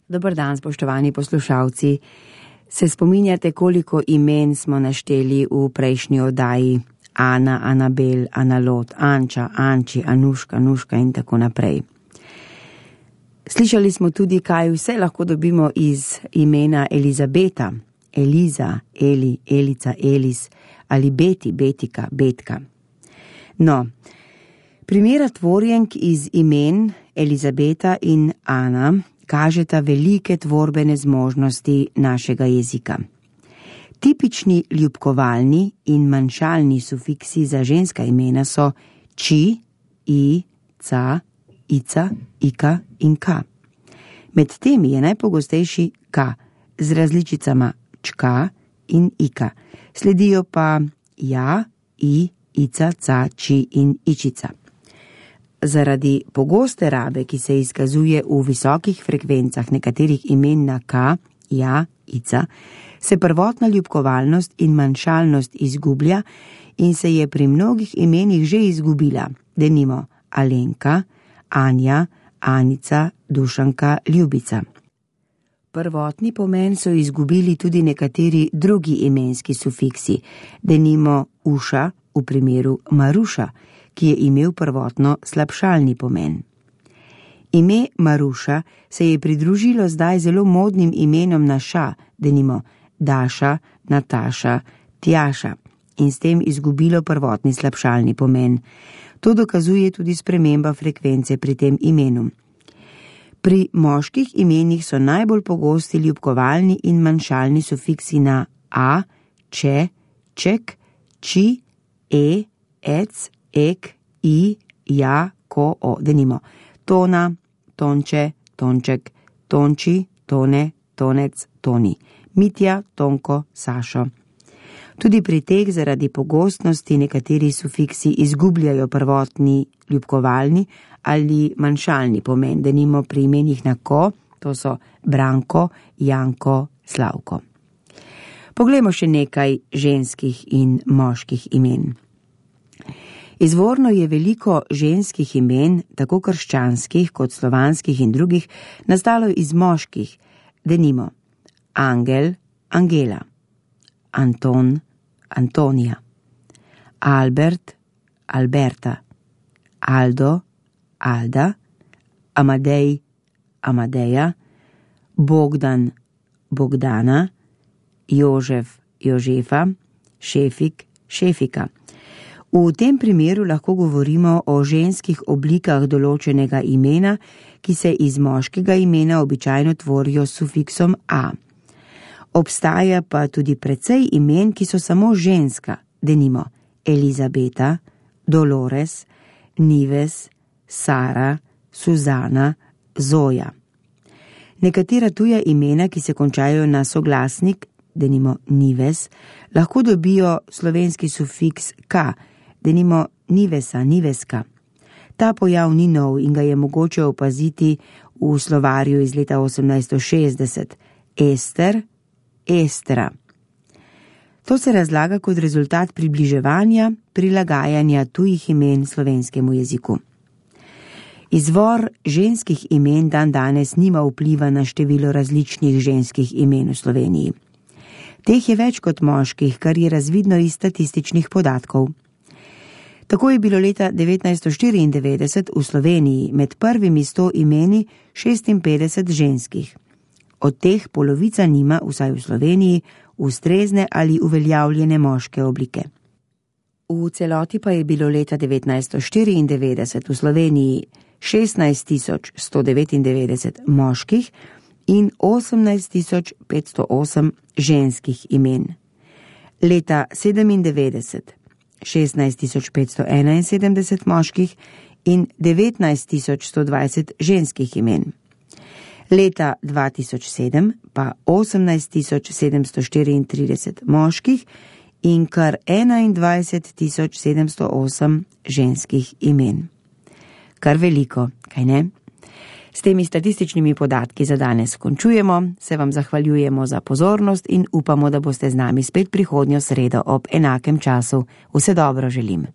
Dober dan, spoštovani poslušalci. Se spominjate, koliko imen smo našteli v prejšnji oddaji? Ana, Anabel, Analot, Anča, Anči, Anuška, Nuška in tako naprej. Slišali smo tudi, kaj vse lahko dobimo iz imena Elizabeta, Eliza, Eli, Elica, Elis ali Beti, Betika, Betka. No, primera tvorjenk iz imen Elizabeta in Ana kažeta velike tvorbene zmožnosti našega jezika. Tipični ljubkovalni in manjšalni sufiksi za ženska imena so či, i, ca, ica, ika in ka. Med temi je najpogostejši ka z različicama čka in ika. Sledijo pa ja, i, ica, ca, či in ičica. Zaradi pogoste rabe, ki se izkazuje v visokih frekvencah nekaterih imen na ka, ja, ica, se prvotna ljubkovalnost in manjšalnost izgublja in se je pri mnogih imenih že izgubila, denimo Alenka, Anja, Anica, Dušanka, Ljubica. Prvotni pomen so izgubili tudi nekateri drugi imenski sufiksi, denimo Uša v primeru Maruša, ki je imel prvotno slabšalni pomen. Ime Maruša se je pridružilo zdaj zelo modnim imenom na ša, denimo Daša, Nataša, Tjaša, in s tem izgubilo prvotni slabšalni pomen. To dokazuje tudi sprememba frekvence pri tem imenu. Pri moških imenih so najbolj pogosti ljubkovalni in manjšalni sufiksi na a, če, ček, či, ec, ek, i, ja, ko, o, denimo tona, tonče, tonček, tonči, tone, tonec, toni, Mitja, Tonko, Sašo. Tudi pri teh zaradi pogostnosti nekateri sufiksi izgubljajo prvotni ljubkovalni ali manjšalni pomen, denimo pri imenih na ko, to so Branko, Janko, Slavko. Poglejmo še nekaj ženskih in moških imen. Izvorno je veliko ženskih imen, tako krščanskih kot slovanskih in drugih, nastalo iz moških, denimo Angel, Angela, Anton, Antonija, Albert, Alberta, Aldo, Alda, Amadej, Amadeja, Bogdan, Bogdana, Jožef, Jožefa, Šefik, Šefika. V tem primeru lahko govorimo o ženskih oblikah določenega imena, ki se iz moškega imena običajno tvorijo s sufiksom a. Obstaja pa tudi precej imen, ki so samo ženska, denimo Elizabeta, Dolores, Nives, Sara, Suzana, Zoja. Nekatera tuja imena, ki se končajo na soglasnik, denimo Nives, lahko dobijo slovenski sufiks ka, denimo Nivesa, Niveska. Ta pojav ni nov in ga je mogoče opaziti v slovarju iz leta 1860. Ester, Estra. To se razlaga kot rezultat približevanja, prilagajanja tujih imen slovenskemu jeziku. Izvor ženskih imen dandanes nima vpliva na število različnih ženskih imen v Sloveniji. Teh je več kot moških, kar je razvidno iz statističnih podatkov. Tako je bilo leta 1994 v Sloveniji med prvimi 100 imeni 56 ženskih. Od teh polovica nima, vsaj v Sloveniji, ustrezne ali uveljavljene moške oblike. V celoti pa je bilo leta 1994 v Sloveniji 16.199 moških in 18.508 ženskih imen. Leta 1997 16.571 moških in 19.120 ženskih imen. Leta 2007 pa 18.734 moških in kar 21.708 ženskih imen. Kar veliko, kaj ne? S temi statističnimi podatki za danes končujemo, se vam zahvaljujemo za pozornost in upamo, da boste z nami spet prihodnjo sredo ob enakem času. Vse dobro želim.